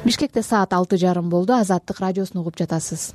Бишкекте саат 6:30 болду. Азаттык радиосун угуп жатасыз.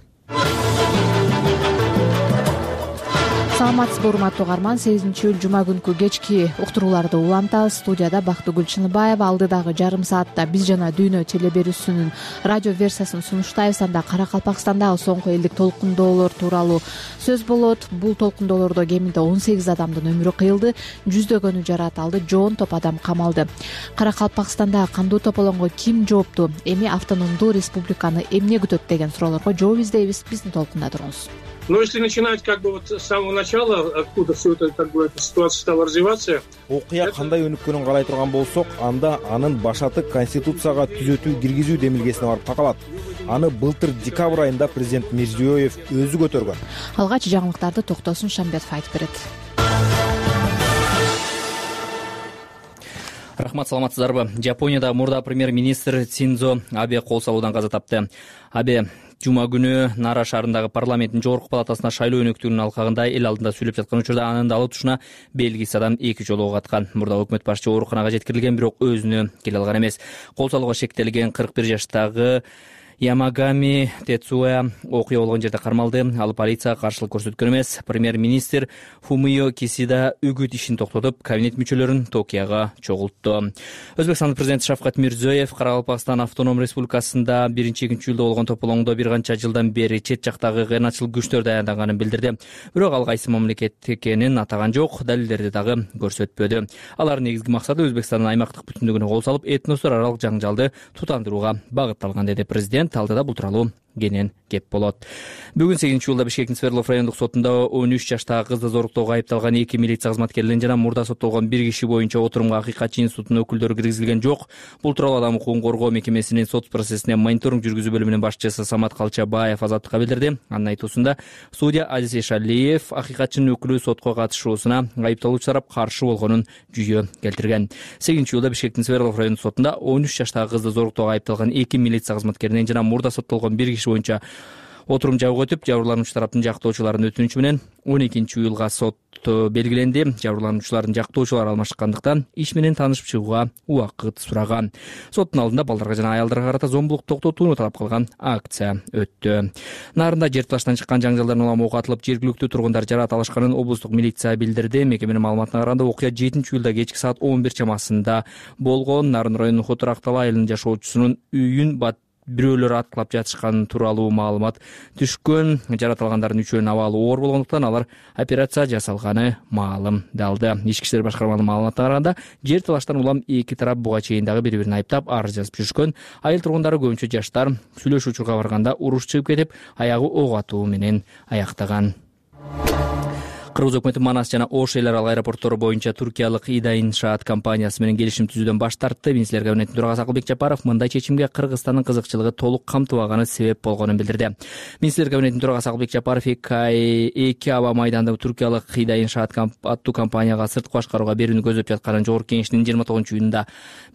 Саламатсызбы урматтуу угарман, 8-июль жума күнкү кечки уктурууларды улантабыз. Студияда Бактыгүл Чыныбаева. Алдыдагы жарым саатта Биз жана дүйнө теле берүүсүнүн радио версиясын сунуштайбыз. Анда Кара-Калпакстандагы соңку элдик толкундоолор тууралуу сөз болот. Бул толкундоолордо кеминде 18 адамдын өмүрү кыйылды, жүздөгөнү жарат алды, жоон топ адам камалды. Кара-Калпакстандагы кандуу тополоңго ким жоопту? Эми автономдуу республиканы эмне күтөт деген суроолорго жооп издейбиз. Биздин толкунда туруңуз. Если начинать с самого начала, откуда все это, эта ситуация стала развиваться. Окуя кандай өнүккөнүн карай турган болсок, анда анын башаты Конституцияга түзөтүү киргизүү демилгесине барып такалат. Аны былтыр декабрь айында президент Мирзиёев өзү көтөргөн. Алгач жаңылыктарды Токтосун Шамбетов айтып берет. Рахмат, саламатсыздарбы? Жапониядагы мурда премьер-министр Синдзо Абе кол салуудан каза тапты. Абе жума күнү Нара шаарындагы парламенттин жогорку палатасына шайлоо өнөктүгүнүн алкагында эл алдында сүйлөп жаткан учурда анын далы тушуна белгисиз адам 2 жолу ок аткан. Мурда өкмөт башчы ооруканага жеткирилген, бирок өзүнө келе алган эмес. Кол салууга шектелген 41 жаштагы Ямагами Тецуя окуя болгон жерде кармалды. Ал полицияга каршылык көрсөткөн эмес. Премьер-министр Фумио Кисида үгүт ишин токтотуп, кабинет мүчөлөрүн Токиого чогултту. Өзбекстандын президенти Шавкат Мирзиёев Кара-Калпакстан автоном республикасында 1-2-июлда болгон тополоңдо бир канча жылдан бери чет жактагы кыйырмачыл күчтөр даярданганын билдирди. Бирок ал кайсы мамлекет экенин атаган жок, далилдерди дагы көрсөтпөдү. Алардын негизги максаты Өзбекстандын аймактык бүтүндүгүнө кол салып, этностор аралык жаңжалды тутандырууга багытталган, деди президент. Алдыда бул тууралуу кенен кеп болот. Бүгүн 8-июлда Бишкектин Свердлов райондук сотунда 13 жаштагы кызды зоруктоого айыпталган 2 милиция кызматкерлерин жана мурда соттолгон 1 киши боюнча отурумга Акыйкатчы институтунун өкүлдөрү киргизилген жок. Бул тууралуу Адам укугун коргоо мекемесинин сот процессине мониторинг жүргүзүү бөлүмүнүн башчысы Самат Калчабаев азаттыкка билдирди. Анын айтуусунда судья Азиз Эшалиев Акыйкатчынын өкүлү сотко катышуусуна айыпталуучу тарап каршы болгонун жүйө келтирген. 8-июлда Бишкектин Свердлов райондук сотунда 13 жаштагы кызды зоруктоого айыпталган 2 милиция кызматкеринен жана мурда соттолгон 1 киши боюнча отурум жабык өтүп, жабырлануучу тараптын жактоочуларынын өтүнүчү менен 12-июлга сот белгиленди. Жабырлануучулардын жактоочулары алмашкандыктан иш менен таанышып чыгууга убакыт сураган. Соттун алдында балдарга жана аялдарга карата зомбулук токтотууну талап кылган акция өттү. Нарында жер талаштан чыккан жаңжалдардын улам ок атылып, жергиликтүү тургундар жараат алышканын облустук милиция билдирди. Мекеменин маалыматына караганда, окуя 7-июлда кечки саат 11 чамасында болгон. Нарын районунун Хотурактала айылынын жашоочусунун үйүн бирөөлөр аткылап жатышкан тууралуу маалымат түшкөн. Жараат алгандардын үчөөнүн абалы оор болгондуктан алар операция жасалганы маалымдалды. Ички иштер башкарманын маалыматына караганда, жер талаштан улам эки тарап буга чейин дагы бири-бирин айыптап арыз жазып жүрүшкөн. Айыл тургундары көбүнчө жаштар сүйлөшүү учурга барганда уруш чыгып кетип, аягы ок атуу менен аяктаган. Кыргыз өкмөтү Манас жана Ош эл аралык аэропорттору боюнча туркиялык Ида иншаат компаниясы менен келишим түзүүдөн баш тартты. Министрлер кабинетинин төрагасы Акылбек Жапаров мындай чечимге Кыргызстандын кызыкчылыгы толук камтыбаганы себеп болгонун билдирди. Министрлер кабинетинин төрагасы Акылбек Жапаров эки аба майданда туркиялык Ида иншаат аттуу компанияга сырткы башкарууга берүүнү көздөп жатканын жогорку кеңештин 29-июнунда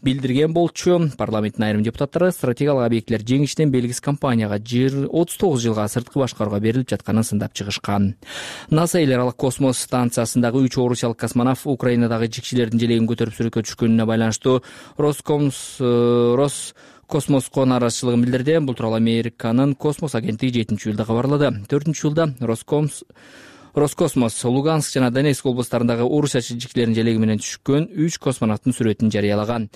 билдирген болчу. Парламенттин айрым депутаттары стратегиялык объектилер жеңишинен белгисиз компанияга 39 жылга сырткы башкарууга берилип жатканын сындап чыгышкан. НАСА эл аралык космос станциясындагы 3 орусиялык космонавт Украинадагы жикчилердин желегин көтөрүп сүрөткө түшкөнүнө байланыштуу Роскосмоско нааразычылыгын билдирди. Бул тууралуу Американын космос агенттиги 7-июлда кабарлады. 4-июлда Роскосмос Луганск жана Донецк облустарындагы орусия жикчилеринин желеги менен түшкөн 3 космонавттын сүрөтүн жарыялаган.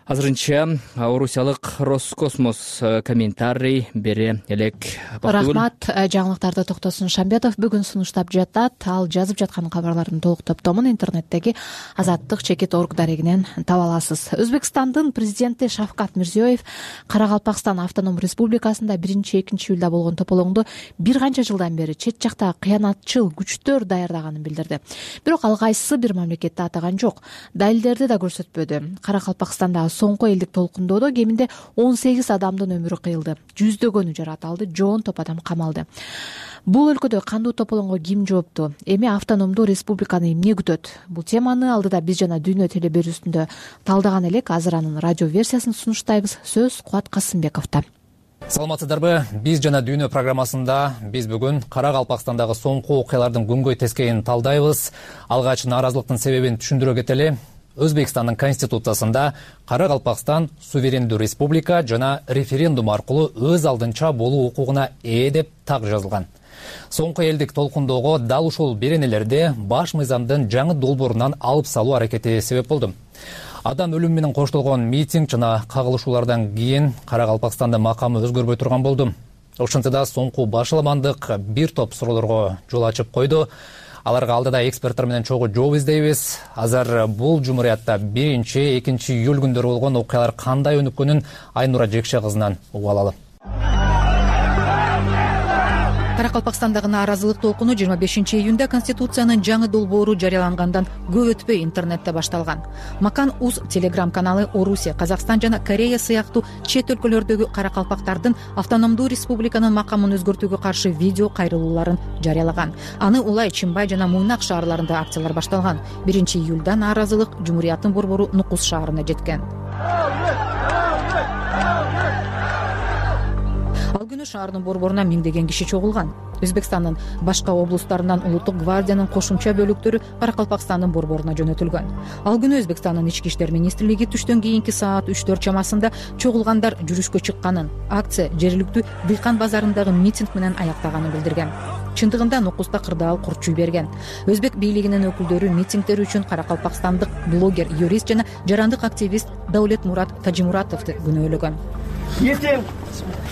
Азырынча орусиялык Роскосмос комментарий бере элек. Рахмат. Жаңылыктарды Токтосун Шамбетов бүгүн сунуштап жатат. Ал жазып жаткан кабарлардын толук топтомун интернеттеги Азаттык-org дарегинен таба аласыз. Өзбекстандын президенти Шавкат Мирзиёев Кара-Калпакстан автоном республикасында 1-2-июлда болгон тополоңдо бир канча жылдан бери чет жактагы кыянатчыл күчтөр даярдаганын билдирди. Бирок ал кайсы бир мамлекетти атаган жок, далилдерди да көрсөтпөдү. Кара-Калпакстандагы соңку элдик толкундоодо кеминде 18 адамдын өмүрү кыйылды, жүздөгөнү жарат алды, жоон топ адам камалды. Бул өлкөдө кандуу тополоңго ким жоопту? Эми автономдуу республиканы эмне күтөт? Бул теманы алдыда Биз жана дүйнө теле берүүсүндө талдаган элек. Азыр анын радио версиясын сунуштайбыз. Сөз Кубат Касымбековдо. Саламатсыздарбы? Биз жана дүйнө программасында биз бүгүн Кара-Калпакстандагы соңку окуялардын күнгөй тескейин талдайбыз. Алгач нааразылыктын себебин түшүндүрө кетели. Өзбекстандын конституциясында Кара Калпакстан суверендүү республика жана референдум аркылуу өз алдынча болуу укугуна ээ деп так жазылган. Соңку элдик толкундоого дал ушул беренелерди баш мыйзамдын жаңы долбоорунан алып салуу аракети себеп болду. Адам өлүмү менен коштолгон митинг жана кагылышуулардан кийин Кара Калпакстандын макамы өзгөрбөй турган болду. Ошентсе да соңку башаламандык бир топ суроолорго жол ачып койду. Аларга алдыда эксперттер менен чогуу жооп издейбиз. Азыр бул жумуриятта 1-2 июль күндөрү болгон окуялар кандай өнүккөнүн Айнура Жекше кызынан угуп алалы. Кара Калпакстандагы нааразылык толкуну 25 июнда Конституциянын жаңы долбоору жарыялангандан көп өтпөй интернетте башталган. Макан УЗ телеграм каналы Орусия, Казакстан жана Корея сыяктуу чет өлкөлөрдөгү кара калпактардын автономдуу республиканын макамын өзгөртүүгө каршы видео кайрылууларын жарыялаган. Аны Улай, Чимбай жана Муйнак шаарларында акциялар башталган. 1 июлда нааразылык Жумурияттын борбору Нукус шаарына жеткен. Ал күнү шаардын борборуна миңдеген киши чогулган. Өзбекстандын башка облустарынан улуттук гвардиянын кошумча бөлүктөрү Кара Калпакстандын борборуна жөнөтүлгөн. Ал күнү Өзбекстандын ички иштер министрлиги түштөн кийинки саат 3-4 чамасында чогулгандар жүрүшкө чыкканын, акция жергиликтүү Дыйкан базарындагы митинг менен аяктаганын билдирген. Чындыгында Нукуста кырдаал курчуй берген. Өзбек бийлигинин өкүлдөрү митингдер үчүн каракалпакстандык блогер, юрист жана жарандык активист Даулет Мурат Тажимуратовду күнөөлөгөн. Ертең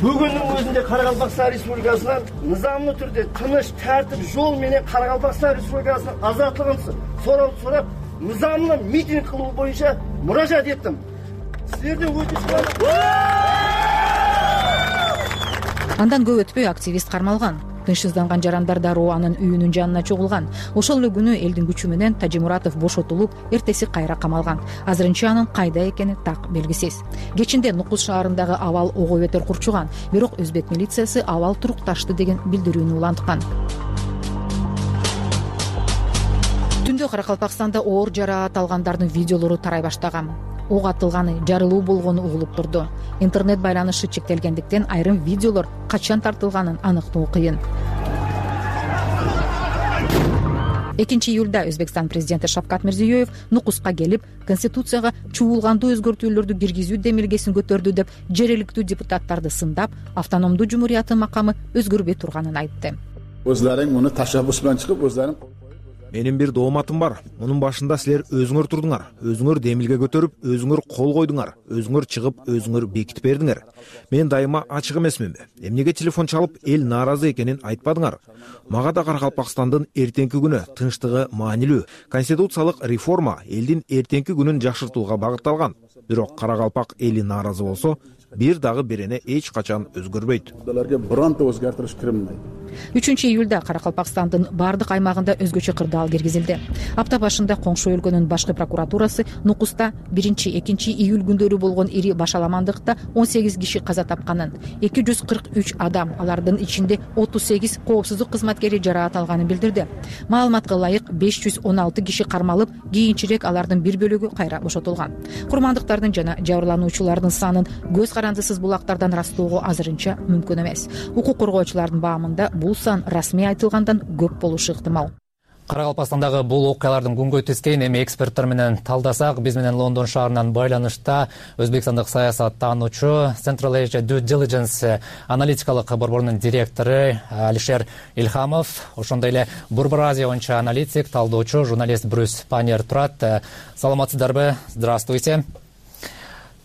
бүгүнүн өзүндө Кара Калпакстан Республикасынан нызамдуу түрдө тыныч, тартип жол менен Кара Калпакстан Республикасынын азаттыгын сурап, нызамдуу митинг кылуу боюнча муражаат эттим. Силерден өтүш. Андан көп өтпөй активист кармалган. Тынчсызданган жарандар дароо анын үйүнүн жанына чогулган. Ошол эле күнү элдин күчү менен Тажимуратов бошотулуп, эртеси кайра камалган. Азырынча анын кайда экени так белгисиз. Кечинде Нукус шаарындагы абал ого бетер курчуган, бирок өзбек милициясы абал турукташты деген билдирүүнү уланткан. Түндө Кара Калпакстанда оор жараат алгандардын видеолору тарай баштаган. Ок атылганы, жарылуу болгону угулуп турду. Интернет байланышы чектелгендиктен айрым видеолор качан тартылганын аныктоо кыйын. 2 июлда Өзбекстан президенти Шавкат Мирзиёев Нукуска келип, Конституцияга чуулгандуу өзгөртүүлөрдү киргизүү демилгесин көтөрдү деп жергиликтүү депутаттарды сындап, автономдуу жумурияттын макамы өзгөрбөй турганын айтты. Өзлөрүң муну ташаббус менен чыгып, өзлөрүң Менин бир дооматым бар. Мунун башында силер өзүңөр турдуңар. Өзүңөр демилге көтөрүп, өзүңөр кол койдуңар. Өзүңөр чыгып, өзүңөр бекитип бердиңер. Мен дайыма ачык эмесминби? Эмнеге телефон чалып, эл нааразы экенин айтпадыңар? Мага да Кара Калпакстандын эртеңки күнү тынчтыгы маанилүү. Конституциялык реформа элдин эртеңки күнүн жакшыртууга багытталган. Бирок Кара Калпак эли нааразы болсо, бир дагы берене эч качан өзгөрбөйт. Аларга бронто өзгөртүш кирмейт. 3 июлда Кара Калпакстандын бардык аймагында өзгөчө кырдаал киргизилди. Апта башында коңшу өлкөнүн башкы прокуратурасы Нукуста 1-2 июль күндөрү болгон ири башаламандыкта 18 киши каза тапканын, 243 адам, алардын ичинде 38 коопсуздук кызматкери жараат алганын билдирди. Маалыматка ылайык 516 киши кармалып, кийинчерээк алардын бир бөлүгү кайра бошотулган. Курмандыктардын жана жабырлануучулардын санын көз карандысыз булактардан ырастоого азырынча мүмкүн эмес. Укук коргоочулардын баамында бул сан расмий айтылгандан көп болушу ыктымал. Кара Калпакстандагы бул окуялардын күнгөй тескейин эми эксперттер менен талдасак, биз менен Лондон шаарынан байланышта өзбекстандык саясаттануучу Central Asia Due Diligence аналитикалык борборунун директору Алишер Ильхамов, ошондой эле Борбор Азия боюнча аналитик, талдоочу, журналист Брюс Паньер турат. Саламатсыздарбы? Здравствуйте.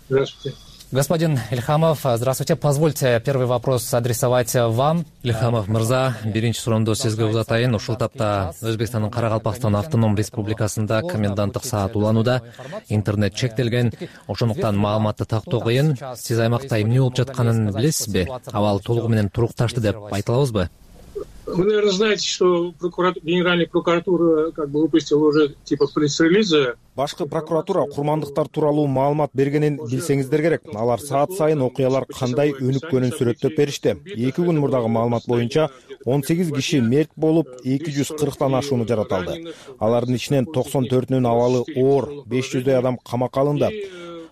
Здравствуйте. Господин Ильхамов, здравствуйте. Позвольте первый вопрос адресовать вам. Ильхамов мырза, биринчи суроомду сизге узатайын. Ушул тапта Өзбекстандын Кара Калпакстан автоном республикасында коменданттык саат уланууда, интернет чектелген. Ошондуктан маалыматты тактоо кыйын. Сиз аймакта эмне болуп жатканын билесизби? Абал толугу менен турукташты деп айта алабызбы? Вы, наверное, знаете, что Генеральная прокуратура выпустила уже пресс-релизы. Башкы прокуратура курмандыктар тууралуу маалымат бергенин билсеңиздер керек. Алар саат сайын окуялар кандай өнүккөнүн сүрөттөп беришти. 2 күн мурдагы маалымат боюнча 18 киши мерт болуп, 240тан ашууну жараталды. Алардын ичинен 94-үнүн абалы оор, 500дөй адам камакка алынды.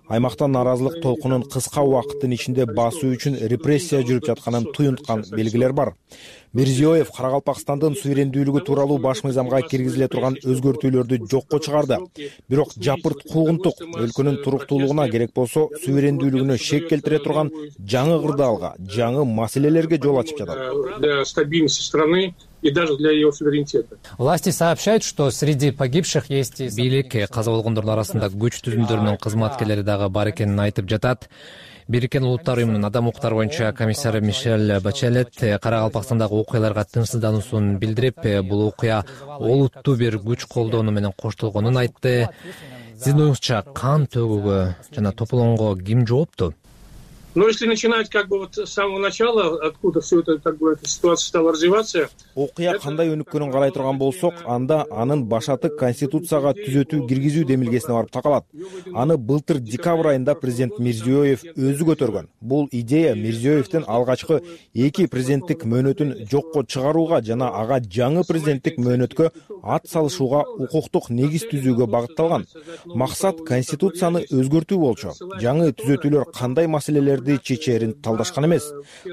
Аймакта нааразылык толкунун кыска убакыттын ичинде басуу үчүн репрессия жүрүп жатканын туюнткан белгилер бар. Мирзиёев Каракалпакстандын суверендүүлүгү тууралуу баш мыйзамга киргизиле турган өзгөртүүлөрдү жокко чыгарды. Бирок жапырт куугунтук өлкөнүн туруктуулугуна керек болсо суверендүүлүгүнө шек келтире турган жаңы кырдаалга, жаңы маселелерге жол ачып жатат. Для стабильности страны и даже для ее суверенитета. Власти сообщают, что среди погибших есть... Бийлик каза болгондордун арасында күч түзүмдөрүнүн кызматкерлери дагы бар экенин айтып жатат. Бириккен Улуттар уюмунун адам укуктары боюнча комиссары Мишель Бачелет Каракалпакстандагы окуяларга тынчсыздануусун билдирип, бул окуя олуттуу бир күч колдонуу менен коштолгонун айтты. Сиздин оюңузча кан төгүүгө жана тополоңго ким жоопту? Но если начинать с самого начала, откуда все это эта ситуация стала развиваться. Окуя кандай өнүккөнүн карай турган болсок, анда анын башаты Конституцияга түзөтүү киргизүү демилгесине барып такалат. Аны былтыр декабрь айында президент Мирзиёев өзү көтөргөн. Бул идея Мирзиёевдин алгачкы 2 президенттик мөөнөтүн жокко чыгарууга жана ага жаңы президенттик мөөнөткө ат салышууга укуктук негиз түзүүгө багытталган. Максат Конституцияны өзгөртүү болчу. Жаңы түзөтүүлөр кандай маселелерди чечерин талдашкан эмес,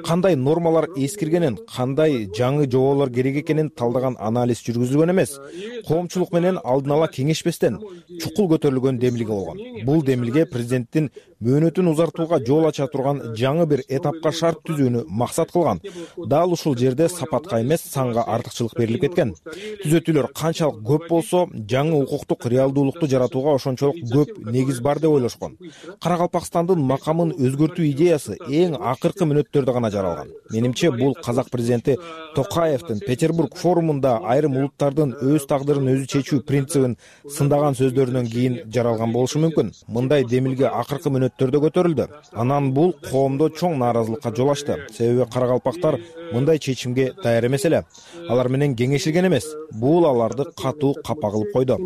кандай нормалар эскиргенин, кандай жаңы жоболор керек экенин талдаган анализ жүргүзүлгөн эмес. Коомчулук менен алдын ала кеңешпестен чукул көтөрүлгөн демилге болгон. Бул демилге президенттин мөөнөтүн узартууга жол ача турган жаңы бир этапка шарт түзүүнү максат кылган. Дал ушул жерде сапатка эмес, санга артыкчылык берилип кеткен. Түзөтүүлөр канчалык көп болсо, жаңы укуктук реалдуулукту жаратууга ошончолук көп негиз бар деп ойлошкон. Каракалпакстандын макамын өзгөртүү идеясы эң акыркы мүнөттөрдө гана жаралган. Менимче бул казак президенти Токаевдин Петербург форумунда айрым улуттардын өз тагдырын өзү чечүү принцибин сындаган сөздөрүнөн кийин жаралган болушу мүмкүн. Мындай демилге акыркы мүнөттөрдө көтөрүлдү. Анан бул коомдо чоң нааразылыкка жол ачты. Себеби каракалпактар мындай чечимге даяр эмес эле. Алар менен кеңешилген эмес. Бул аларды катуу капа кылып койду.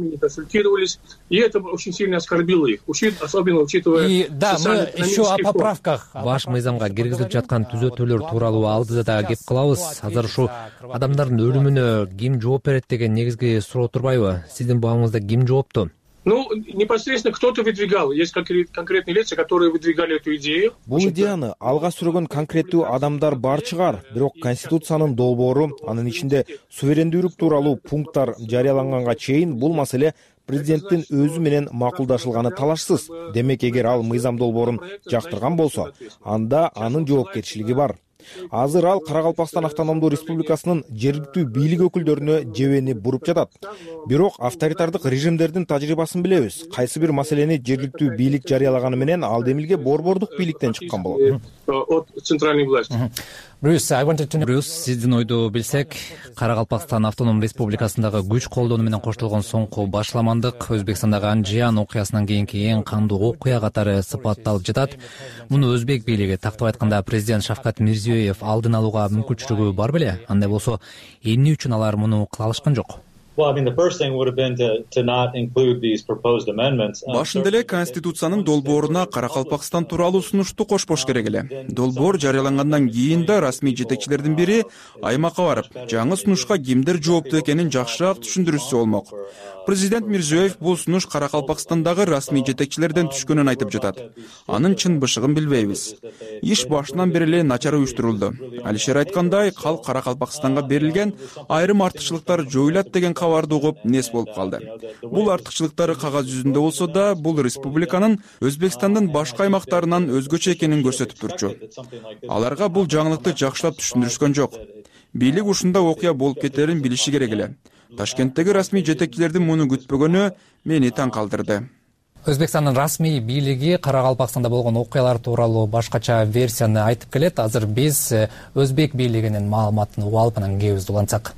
И это очень сильно оскорбило их, особенно учитывая... И да, мы еще о поправках. Баш мыйзамга киргизилип жаткан түзөтүүлөр тууралуу алдыда да кеп кылабыз. Азыр ушу адамдардын өлүмүнө ким жооп берет деген негизги суроо турбайбы? Сиздин багыңызда ким жоопту? Непосредственно кто-то выдвигал. Есть конкретные лица, которые выдвигали эту идею. Бул идеяны алга сүргөн конкреттүү адамдар бар чыгар. Бирок Конституциянын долбоору, анын ичинде суверендүүлүк тууралуу пункттар жарыяланганга чейин бул маселе президенттин өзү менен макулдашылганы талашсыз. Демек, эгер ал мыйзам долбоорун жактырган болсо, анда анын жоопкерчилиги бар. Азыр ал Каракалпакстан автономдуу республикасынын жергиликтүү бийлик өкүлдөрүнө жебени буруп жатат. Бирок авторитардык режимдердин тажрыйбасын билебиз. Кайсы бир маселени жергиликтүү бийлик жарыялаганы менен ал демилге борбордук бийликтен чыккан болот. От центральной власти. Брюс, сиздин ойду билсек, Каракалпакстан автоном республикасындагы күч колдонуу менен коштолгон соңку башламандык Өзбекстандагы Анжиян окуясынан кийинки эң кандуу окуя катары сыпатталып жатат. Муну өзбек бийлиги, тактап айтканда президент Шавкат Мирзиёев алдын алууга мүмкүнчүлүгү бар беле? Андай болсо, эмне үчүн алар муну кыла алышкан жок? Башында эле Конституциянын долбооруна Каракалпакстан тууралуу сунушту кошпош керек эле. Долбоор жарыялангандан кийин да расмий жетекчилердин бири аймакка барып, жаңы сунушка кимдер жооптуу экенин жакшыраак түшүндүрүшсө болмок. Президент Мирзиёев бул сунуш Каракалпакстандагы расмий жетекчилерден түшкөнүн айтып жатат. Анын чын бышыгын билбейбиз. Иш башынан бери эле начар уюштурулду. Алишер айткандай, калк Каракалпакстанга берилген айрым артыкчылыктар жоюлат деген кабарды угуп нес болуп калды. Бул артыкчылыктары кагаз жүзүндө болсо да, бул республиканын Өзбекстандын башка аймактарынан өзгөчө экенин көрсөтүп турчу. Аларга бул жаңылыкты жакшылап түшүндүрүшкөн жок. Бийлик ушундай окуя болуп кетерин билиши керек эле. Ташкенттеги расмий жетекчилердин муну күтпөгөнү мени таң калтырды. Өзбекстандын расмий бийлиги Каракалпакстанда болгон окуялар тууралуу башкача версияны айтып келет. Азыр биз өзбек бийлигинин маалыматын угуп алып анан кебизди улантсак.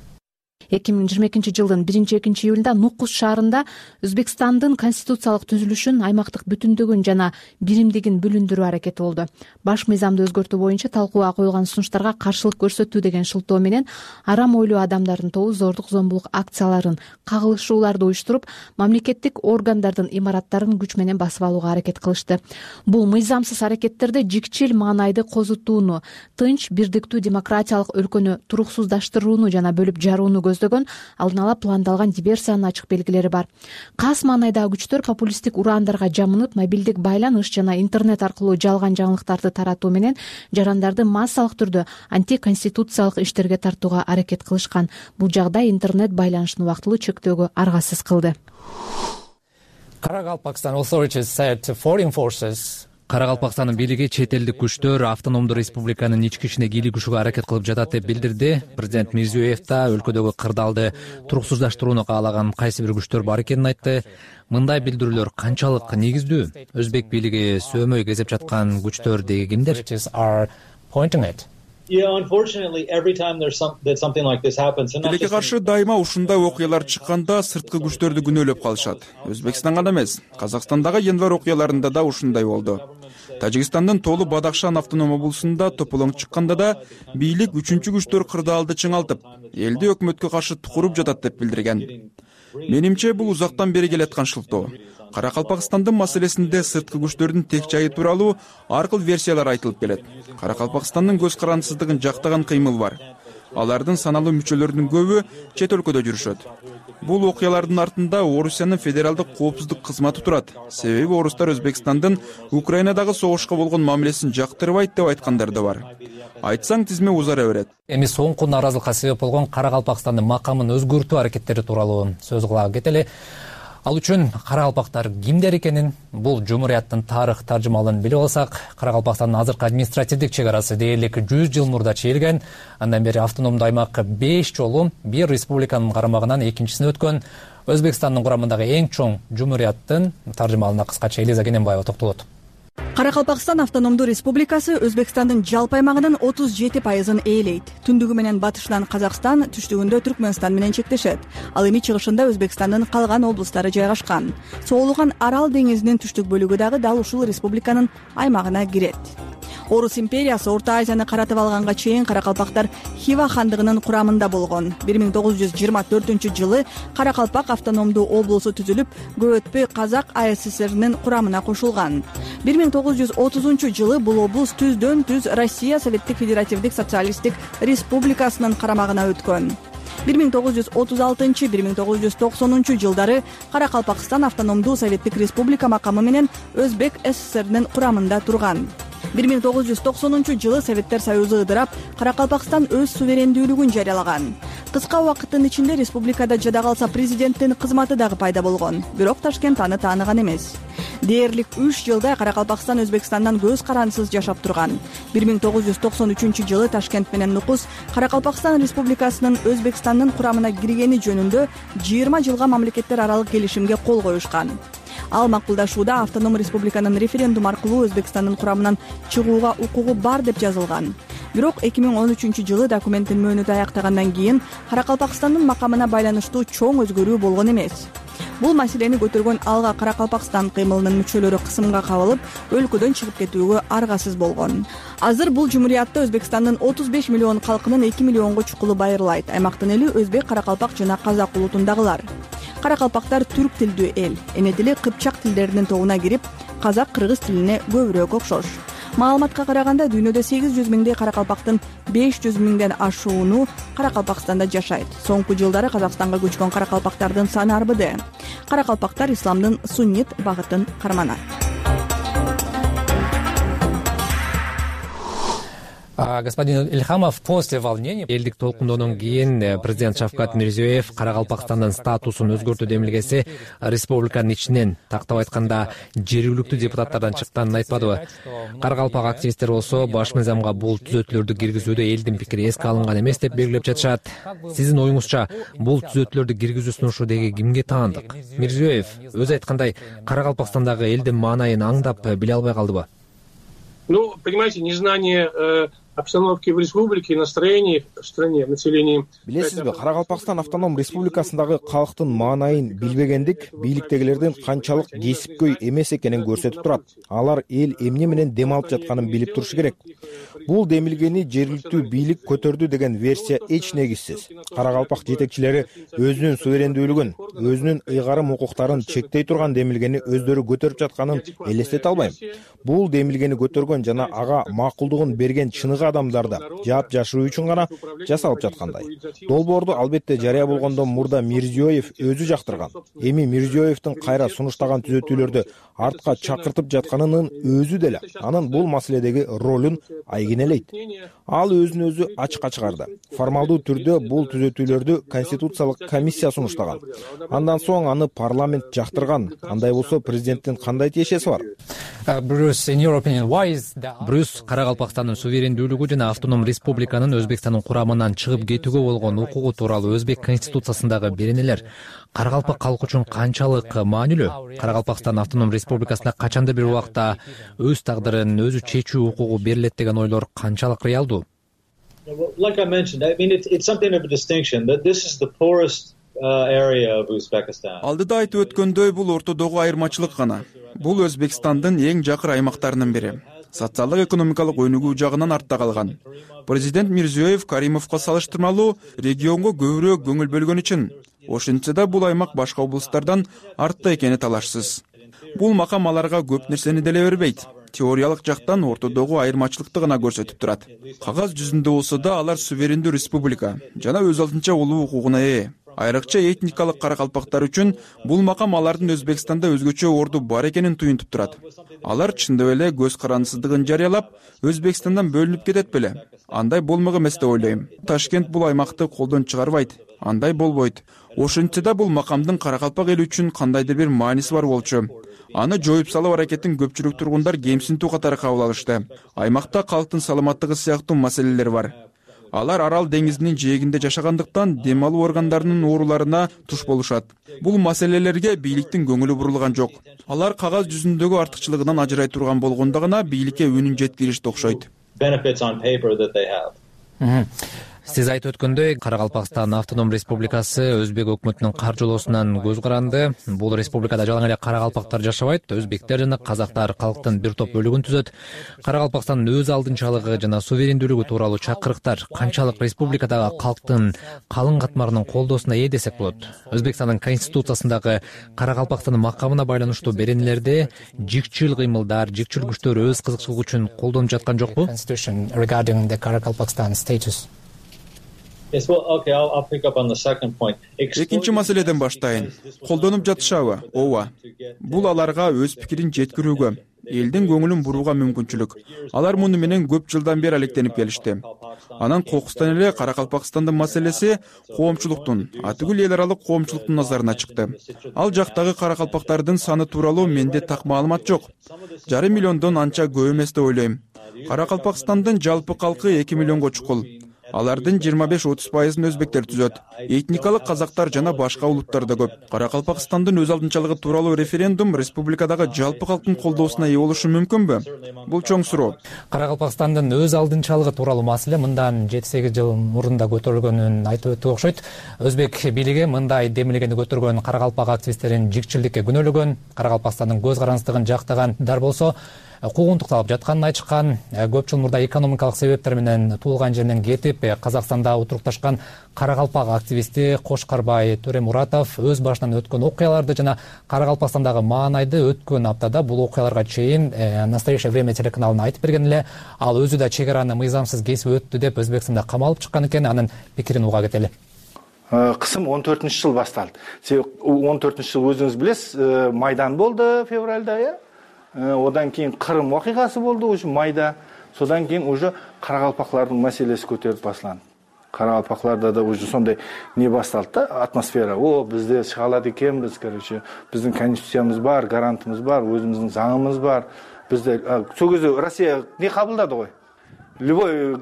2022 жылдын 1-2 июлунда Нукус шаарында Өзбекстандын конституциялык түзүлүшүн, аймактык бүтүндүгүн жана биримдигин бүлүндүрүү аракети болду. Баш мыйзамды өзгөртүү боюнча талкууга коюлган сунуштарга каршылык көрсөтүү деген шылтоо менен арам ойлуу адамдардын тобу зордук зомбулук акцияларын, кагылышууларды уюштуруп, мамлекеттик органдардын имараттарын күч менен басып алууга аракет кылышты. Бул мыйзамсыз аракеттерде жикчил маанайды козутууну, тынч, бирдиктүү демократиялык өлкөнү туруксуздаштырууну жана бөлүп жарууну көздөгөн. көздөгөн алдын ала пландалган диверсиянын ачык белгилери бар. Кас маанайдагы күчтөр популисттик ураандарга жамынып, мобилдик байланыш жана интернет аркылуу жалган жаңылыктарды таратуу менен жарандарды массалык түрдө антиконституциялык иштерге тартууга аракет кылышкан. Бул жагдай интернет байланышын убактылуу чектөөгө аргасыз кылды. Кара Калпакстандын бийлиги чет элдик күчтөр автономдуу республиканын ички ишине кийлигишүүгө аракет кылып жатат деп билдирди. Президент Мирзиёев да өлкөдөгү кырдаалды туруксуздаштырууну каалаган кайсы бир күчтөр бар экенин айтты. Мындай билдирүүлөр канчалык негиздүү? Өзбек бийлиги сөөмөй кезеп жаткан күчтөр деги кимдер? Тилекке каршы дайыма ушундай окуялар чыкканда сырткы күчтөрдү күнөөлөп калышат. Өзбекстан гана эмес, Казакстандагы январь окуяларында да ушундай болду. Тажикстандын Толу Бадахшан автоном облусунда тополоң чыкканда да бийлик үчүнчү күчтөр кырдаалды чыңалтып, элди өкмөткө каршы тукуруп жатат деп билдирген. Менимче бул узактан бери келаткан шылтоо. Каракалпакстандын маселесинде сырткы күчтөрдүн тек жайы тууралуу ар кыл версиялар айтылып келет. Каракалпакстандын көз карандысыздыгын жактаган кыймыл бар. Алардын саналуу мүчөлөрүнүн көбү чет өлкөдө жүрүшөт. Бул окуялардын артында Орусиянын федералдык коопсуздук кызматы турат. Себеби орустар Өзбекстандын Украинадагы согушка болгон мамилесин жактырбайт деп айткандар да бар. Айтсаң тизме узара берет. Эми соңку нааразылыкка себеп болгон Каракалпакстандын макамын өзгөртүү аракеттери тууралуу сөз кылалы кетели. Ал үчүн каракалпактар кимдер экенин, бул жумурияттын тарых таржымалын билип алсак, Каракалпакстандын азыркы административдик чек арасы дээрлик 100 жыл мурда чейилген. Андан бери автономдуу аймак 5 жолу бир республиканын карамагынан экинчисине өткөн. Өзбекстандын курамындагы эң чоң жумурияттын таржымалына кыскача Элиза Кененбаева токтолот. Каракалпакстан автономдуу республикасы Өзбекстандын жалпы аймагынын 37%ын ээлейт. Түндүгү менен батышынан Казакстан, түштүгүндө Түркмөнстан менен чектешет. Ал эми чыгышында Өзбекстандын калган облустары жайгашкан. Соолуган Арал деңизинин түштүк бөлүгү дагы дал ушул республиканын аймагына кирет. Орус империясы Орто Азияны каратып алганга чейин Каракалпактар Хива хандыгынын курамында болгон. 1924-жылы Каракалпак автономдуу облусу түзүлүп, көп өтпөй Казак АССРнин курамына кошулган. 1930-жылы бул облус түздөн түз Россия Советтик Федеративдик Социалисттик Республикасынын карамагына өткөн. 1936-1990 жылдары Каракалпакстан автономдуу Советтик Республика макамы менен Өзбек СССРнин курамында турган. 1990 жылы Советтер Союзу ыдырап, Каракалпакстан өз суверендүүлүгүн жарыялаган. Кыска убакыттын ичинде республикада жада калса президенттин кызматы дагы пайда болгон. Бирок Ташкент аны тааныган эмес. Дээрлик 3 жылда Каракалпакстан Өзбекстандан көз карандысыз жашап турган. 1993-жылы Ташкент менен Нукус Каракалпакстан Республикасынын Өзбекстандын курамына киргени жөнүндө 20 жылга мамлекеттер аралык келишимге кол коюшкан. Ал макулдашууда автоном республиканын референдум аркылуу Өзбекстандын курамынан чыгууга укугу бар деп жазылган. Бирок 2013-жылы документтин мөөнөтү аяктагандан кийин Каракалпакстандын макамына байланыштуу чоң өзгөрүү болгон эмес. Бул маселени көтөргөн Алга Каракалпакстан кыймылынын мүчөлөрү кысымга кабылып, өлкөдөн чыгып кетүүгө аргасыз болгон. Азыр бул жумуриятта Өзбекстандын 35 миллион калкынын 2 миллионго чукулу байырлайт. Аймактын эли өзбек, каракалпак жана казак улутундагылар. Каракалпактар түрк тилдүү эл. Эне тили кыпчак тилдеринин тобуна кирип, казак, кыргыз тилине көбүрөөк окшош. Маалыматка караганда дүйнөдө 800 миңдей каракалпактын 500 миңден ашууну Каракалпакстанда жашайт. Соңку жылдары Казакстанга көчкөн каракалпактардын саны арбыды. Каракалпактар исламдын суннит багытын карманат. Господин Ильхамов, после волнения элдик толкундоодон кийин президент Шавкат Мирзиёев Каракалпакстандын статусун өзгөртүү демилгеси республиканын ичинен, тактап айтканда жергиликтүү депутаттардан чыкканын айтпадыбы? Каракалпак активисттер болсо баш мыйзамга бул түзөтүүлөрдү киргизүүдө элдин пикири эске алынган эмес деп белгилеп жатышат. Сиздин оюңузча бул түзөтүүлөрдү киргизүү сунушу деги кимге таандык? Мирзиёев өзү айткандай Каракалпакстандагы элдин маанайын аңдап биле албай калдыбы? Ну, понимаете, незнание обстановки в республике, настроений в стране, населении. Билесизби, Каракалпакстан автоном республикасындагы калктын маанайын билбегендик бийликтегилердин канчалык кесипкөй эмес экенин көрсөтүп турат. Алар эл эмне менен дем алып жатканын билип турушу керек. бул демилгени жергиликтүү бийлик көтөрдү деген версия эч негизсиз. Кара калпак жетекчилери өзүнүн суверендүүлүгүн, өзүнүн ыйгарым укуктарын чектей турган демилгени өздөрү көтөрүп жатканын элестете албайм. Бул демилгени көтөргөн жана ага макулдугун берген чыныгы адамдар да жаап жашыруу үчүн гана жасалып жаткандай. Долбоорду албетте жарыя болгондон мурда Мирзиёев өзү жактырган. Эми Мирзиёевдин кайра сунуштаган түзөтүүлөрдү артка чакыртып жатканынын өзү деле анын бул маселедеги ролун айгинелейт. Ал өзүн өзү ачыкка чыгарды. Формалдуу түрдө бул түзөтүүлөрдү Конституциялык комиссия сунуштаган. Андан соң аны парламент жактырган. Андай болсо президенттин кандай тиешеси бар? Брюс, Кара Калпакстандын суверендүүлүгү жана автоном республиканын Өзбекстандын курамынан чыгып кетүүгө болгон укугу тууралуу Өзбек конституциясындагы беренелер Кара Калпак калкы үчүн канчалык маанилүү? Кара Калпакстан автоном республикасына качандыр бир убакта өз тагдырын өзү чечүү укугу берилет деген ойлор канчалык реалдуу? Like I mentioned, I mean it's something of a distinction that this is the poorest area of Uzbekistan. Алдыда айтып өткөндөй бул ортодогу айырмачылык гана. Бул Өзбекстандын эң жакыр аймактарынын бири. Социалдык экономикалык өнүгүү жагынан артта калган. Президент Мирзиёев Каримовго салыштырмалуу регионго көбүрөөк көңүл бөлгөн үчүн. Ошентсе да бул аймак башка облустардан артта экени талашсыз. Бул макам аларга көп нерсени деле бербейт. Теориялык жактан ортодогу айырмачылыкты гана көрсөтүп турат. Кагаз жүзүндө болсо да алар суверендүү республика жана өз алдынча улуу укугуна ээ. Айрыкча этникалык кара калпактар үчүн бул макам алардын Өзбекстанда өзгөчө орду бар экенин туюнтуп турат. Алар чындап эле көз карандысыздыгын жарыялап, Өзбекстандан бөлүнүп кетет беле? Андай болмок эмес деп ойлойм. Ташкент бул аймакты колдон чыгарбайт. Андай болбойт. Ошентсе да бул макамдын Кара Калпак эли үчүн кандайдыр бир мааниси бар болчу. Аны жоюп салуу аракетин көпчүлүк тургундар кемсинтүү катары кабыл алышты. Аймакта калктын саламаттыгы сыяктуу маселелер бар. Алар Арал деңизинин жээгинде жашагандыктан дем алуу органдарынын ооруларына туш болушат. Бул маселелерге бийликтин көңүлү бурулган жок. Алар кагаз жүзүндөгү артыкчылыгынан ажырай турган болгондо гана бийликке үнүн жеткиришти окшойт. Сиз айтып өткөндөй, Кара Калпакстан автоном республикасы Өзбек өкмөтүнүн каржылоосунан көз каранды. Бул республикада жалаң эле кара калпактар жашабайт, өзбектер жана казактар калктын бир топ бөлүгүн түзөт. Кара Калпакстандын өз алдынчалыгы жана суверендүүлүгү тууралуу чакырыктар канчалык республикадагы калктын калың катмарынын колдоосуна ээ десек болот. Өзбекстандын конституциясындагы Кара Калпакстандын макамына байланыштуу беренелерде жикчил кыймылдар, жикчил күчтөр өз кызыкчылыгы үчүн колдонуп жаткан жокпу? Экинчи маселеден баштайын. Колдонуп жатышабы? Ооба. Бул аларга өз пикирин жеткирүүгө, элдин көңүлүн бурууга мүмкүнчүлүк. Алар муну менен көп жылдан бери алектенип келишти. Анан кокустан эле Кара Калпакстандын маселеси коомчулуктун, атүгүл эл аралык коомчулуктун назарына чыкты. Ал жактагы кара калпактардын саны тууралуу менде так маалымат жок. 5 миллиондон анча көп эмес деп ойлойм. Кара Калпакстандын жалпы калкы 2 миллионго чукул. Алардын 25-30% өзбектер түзөт. Этникалык казактар жана башка улуттар да көп. Кара Калпакстандын өз алдынчалыгы тууралуу референдум республикадагы жалпы калктын колдоосуна ээ болушу мүмкүнбү? Бул чоң суроо. Кара Калпакстандын өз алдынчалыгы тууралуу маселе мындан 7-8 жыл мурун да көтөрүлгөнүн айтып өттүк окшойт. Өзбек бийлиги мындай демилгени көтөргөн кара калпак активисттерин жикчилдикке күнөөлөгөн, Кара Калпакстандын көз карандысыздыгын жактагандар болсо куугунтукталып жатканын айтышкан. Көп жыл мурда экономикалык себептер менен туулган жеринен кетип, Казакстанда отурукташкан кара калпак активисти Кошкарбай Төремуратов өз башынан өткөн окуяларды жана Кара Калпакстандагы маанайды өткөн аптада бул окуяларга чейин Настоящее время телеканалына айтып берген эле. Ал өзү да чек араны мыйзамсыз кесип өттү деп Өзбекстанда камалып чыккан экен. Анын пикирин уга кетели. Кысым 14-жыл башталды. 14-жыл өзүңүз билесиз, Майдан болду февралда, одан кийин Кырым окуйгасы болду уже майда. Содан кийин уже кара калпаклардын маселеси көтөрүлүп башланды. Кара калпакларда да уже сондай не башталды да, атмосфера. Бизде чыга алат экенбиз, короче, биздин конституциябыз бар, гарантыбыз бар, өзүбүздүн заңыбыз бар. Бизде сол кезде Россия не кабылдады го. Любой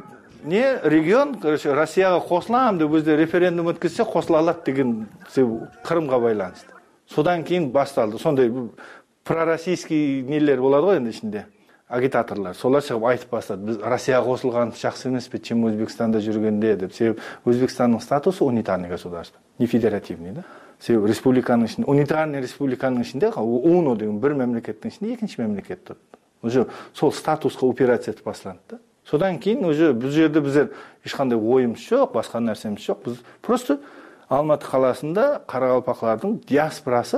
регион, короче, Россияга кошулам деп өзү референдум өткөзсө кошула алат деген Кырымга байланыштуу. Содан кийин башталды. Сондай пророссийский нелер болады ғой енді ішінде, агитаторлар. Солар шығып айтып бастады. Біз Россияға қосылған жақсы емес пе, чем Өзбекстанда жүргенде деп. Себебі Өзбекстанның статусы унитарный государство, не федеративный, да? Себебі республиканың ішінде, унитарный республиканың ішінде, УНО деген бір мемлекеттің ішінде екінші мемлекет тұрды. Уже сол статусқа операция етіп басталды да. Содан кийин уже бул жерде биздер эч кандай оюмуз жок, башка нерсемиз жок. Биз просто Алматы каласында каракалпаклардын диаспорасы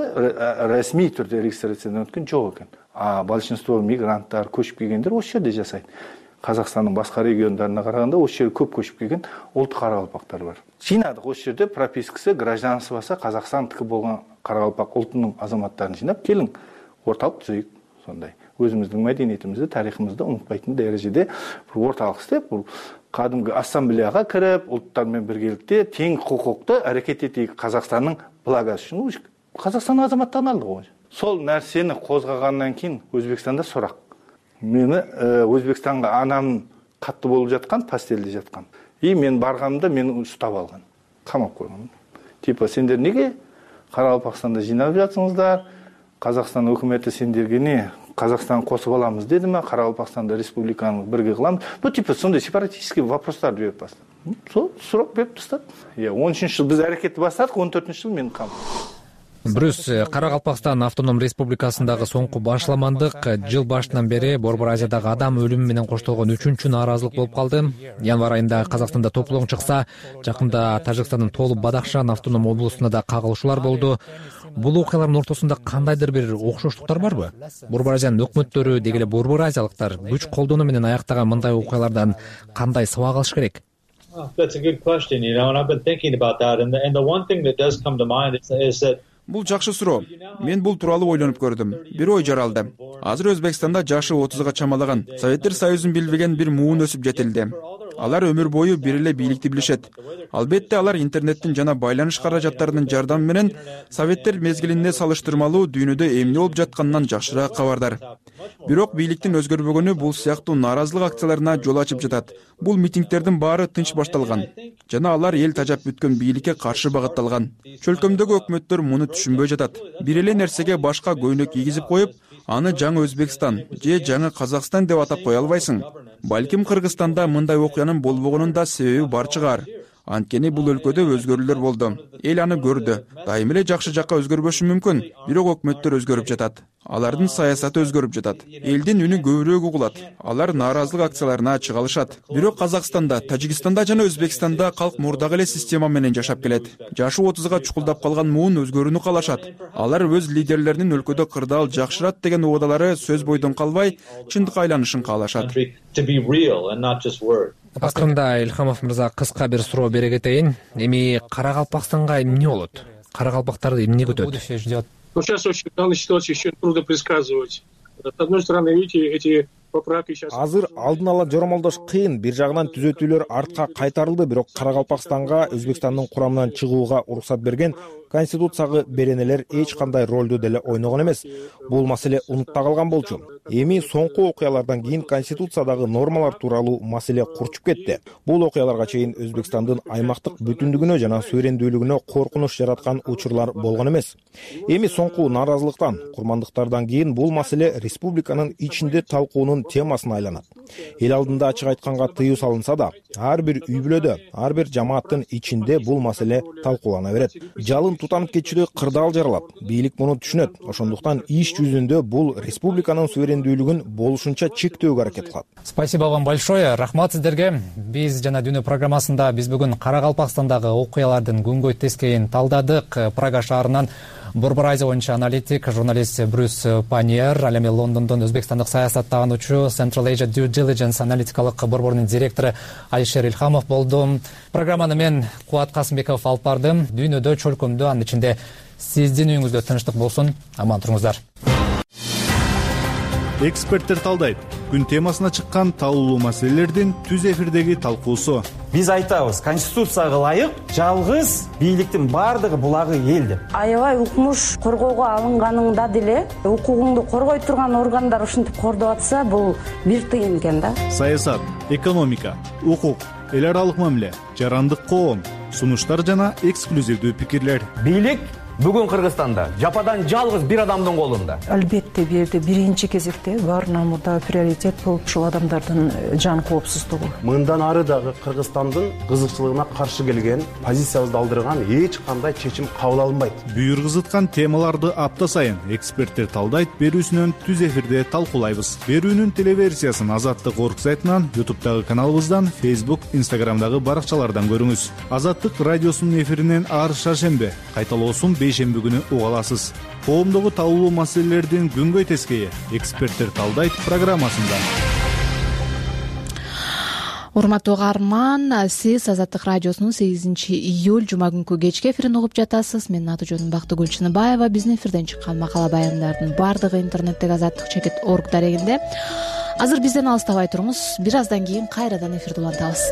расмий түрдө регистрациядан өткөн жок экен. Большинство мигранттар, көчүп келгендер ошол жерде жашайт. Казакстандын башка региондарына караганда ошол жерге көп көчүп келген улут каракалпактар бар. Жыйнадык ошол жерде пропискасы, гражданствосы Казакстандыкы болгон каракалпак улутунун азаматтарын жыйнап, келиң орталык түзөйүк. Сондай өзүбүздүн мәдениетибизди, тарыхыбызды унутпайтын дәрежеде бир орталык иштеп, бул кадимги ассамблеяга кирип, улуттар менен биргеликте тең укукту аракет этейик Казакстандын благосы үчүн. Казакстандын азаматтарын алдык го. Сол нерсени козгагандан кийин Өзбекстанда сурак. Мени Өзбекстанга анам катты болуп жаткан, постелде жаткан. Мен барганымда мени уштап алган. Камап койгон. Типа сендер неге Каракалпакстанда жыйнап жатсыңыздар? Казакстан өкмөтү сендерге Казакстан косуп аламыз дедиме? Каракалпакстанда республиканы бирге кыламыз. Бул типа сондай сепаратистский вопростарды берип баштады. Сол сурак берип тастады. 13-жыл биз аракетти баштадык, 14-жыл мен кам. Брюс, Каракалпакстан автоном республикасындагы соңку башламандык жыл башынан бери Борбор Азиядагы адам өлүмү менен коштолгон 3-чү нааразылык болуп калды. Январь айында Казакстанда топлоң чыкса, жакында Тажикстандын Толу Бадахшан автоном облусунда да кагылышуулар болду. Бул окуялардын ортосунда кандайдыр бир окшоштуктар барбы? Борбор Азиянын өкмөттөрү, деги эле борбор азиялыктар күч колдонуу менен аяктаган мындай окуялардан кандай сабак алыш керек? That's a good question, and I've been thinking about that. And the one thing that does come to mind is that Бул жакшы суроо. Мен бул тууралуу ойлонуп көрдүм. Бир ой жаралды. Азыр Өзбекстанда жашы 30га чамалаган Советтер Союзун билбеген бир муун өсүп жетилди. Алар өмүр бою бир эле бийликти билишет. Албетте алар интернеттин жана байланыш каражаттарынын жардамы менен Советтер мезгилинде салыштырмалуу дүйнөдө эмне болуп жатканынан жакшыраак кабардар. Бирок бийликтин өзгөрбөгөнү бул сыяктуу нааразылык акцияларына жол ачып жатат. Бул митингдердин баары тынч башталган жана алар эл тажап бүткөн бийликке каршы багытталган. Чөлкөмдөгү өкмөттөр муну түшүнбөй жатат. Бир эле нерсеге башка көйнөк кийгизип коюп, аны жаңы Өзбекстан же жаңы Казакстан деп атап кое албайсың. Балким Кыргызстанда мындай окуянын болбогонун да себеби бар чыгар. Анткени бул өлкөдө өзгөрүүлөр болду. Эл аны көрдү. Дайым эле жакшы жакка өзгөрбөшү мүмкүн, бирок өкмөттөр өзгөрүп жатат. Алардын саясаты өзгөрүп жатат. Элдин үнү көбүрөөк угулат. Алар нааразылык акцияларына чыга алышат. Бирок Казакстанда, Тажикстанда жана Өзбекстанда калк мурдагы эле система менен жашап келет. Жашы 30га чукулдап калган муун өзгөрүүнү каалашат. Алар өз лидерлеринин өлкөдө кырдаал жакшырат деген убадалары сөз бойдон калбай, чындыкка айланышын каалашат. Акырында Илхамов мырза кыска бир суроо бере кетейин. Эми Каракалпакстанга эмне болот? Каракалпактарды эмне күтөт? Сейчас очень в данной ситуации еще трудно предсказывать. С одной стороны, видите, эти поправки сейчас... Азыр алдын ала жоромолдош кыйын. Бир жагынан түзөтүүлөр артка кайтарылды, бирок Каракалпакстанга Өзбекстандын курамынан чыгууга уруксат берген Конституцияга беренелер эч кандай ролду деле ойногон эмес. Бул маселе унутта калган болчу. Эми соңку окуялардан кийин Конституциядагы нормалар тууралуу маселе курчуп кетти. Бул окуяларга чейин Өзбекстандын аймактык бүтүндүгүнө жана суверендүүлүгүнө коркунуч жараткан учурлар болгон эмес. Эми соңку нааразылыктан, курмандыктардан кийин бул маселе республиканын ичинде талкуунун темасына айланат. Эл алдында ачык айтканга тыюу салынса да, ар бир үй бүлөдө, ар бир жамааттын ичинде бул маселе талкуулана берет. Жалын тутанып кетчүдө кырдаал жаралат. Бийлик муну түшүнөт. Ошондуктан иш жүзүндө бул республиканын суверендүүлүгүн болушунча чектөөгө аракет кылат. Спасибо вам большое. Рахмат сиздерге. Биз жана Дүйнө программасында биз бүгүн Каракалпакстандагы окуялардын күнгөй тескейин талдадык. Прага шаарынан Борбор Азия боюнча аналитик, журналист Брюс Паньер, ал эми Лондондон Өзбекстандык саясаттануучу Central Asia Due Diligence аналитикалык борборунун директору Алишер Илхамов болду. Программаны мен Кубат Касымбеков алып бардым. Дүйнөдө, чөлкөмдө, анын ичинде сиздин үйүңүздө тынчтык болсун. Аман туруңуздар. Эксперттер талдайт. Күн темасына чыккан талуулуу маселелердин түз эфирдеги талкуусу. Биз айтабыз, Конституцияга ылайык жалгыз бийликтин бардыгы булагы эл деп. Аябай укмуш коргоого алынганыңда деле укугуңду коргой турган органдар ушинтип кордоп атса, бул бир тыйын экен да. Саясат, экономика, укук, эл аралык мамиле, жарандык коом, сунуштар жана эксклюзивдүү пикирлер. Бийлик Бүгүн Кыргызстанда жападан жалгыз бир адамдын колунда. Албетте бул жерде биринчи кезекте баарынан мурда приоритет болуп ушул адамдардын жан коопсуздугу. Мындан ары дагы Кыргызстандын кызыкчылыгына каршы келген, позициябызды алдырган эч кандай чечим кабыл алынбайт. Бүйүргүзүткан темаларды апта сайын эксперттер талдайт, берүүсүнөн түз эфирде талкуулайбыз. Берүүнүн телеверсиясын Азаттык орг сайтынан, YouTube'дагы каналыбыздан, Facebook, Instagram'дагы баракчалардан көрүңүз. Азаттык радиосунун эфиринен ар шаршембе, кайталоосун бейшемби күнү уга аласыз. Коомдогу талкуулуу маселелердин күнгөй тескейи эксперттер талдайт программасында. Урматтуу угарман, сиз Азаттык радиосунун 8-июль жума күнкү кечки эфирин угуп жатасыз. Менин аты жөнүм Бактыгүл Чыныбаева. Биздин эфирден чыккан макала баяндардын баардыгы интернеттеги azattik.org дарегинде. Азыр бизден алыстабай туруңуз. Бир аздан кийин кайрадан эфирди улантабыз.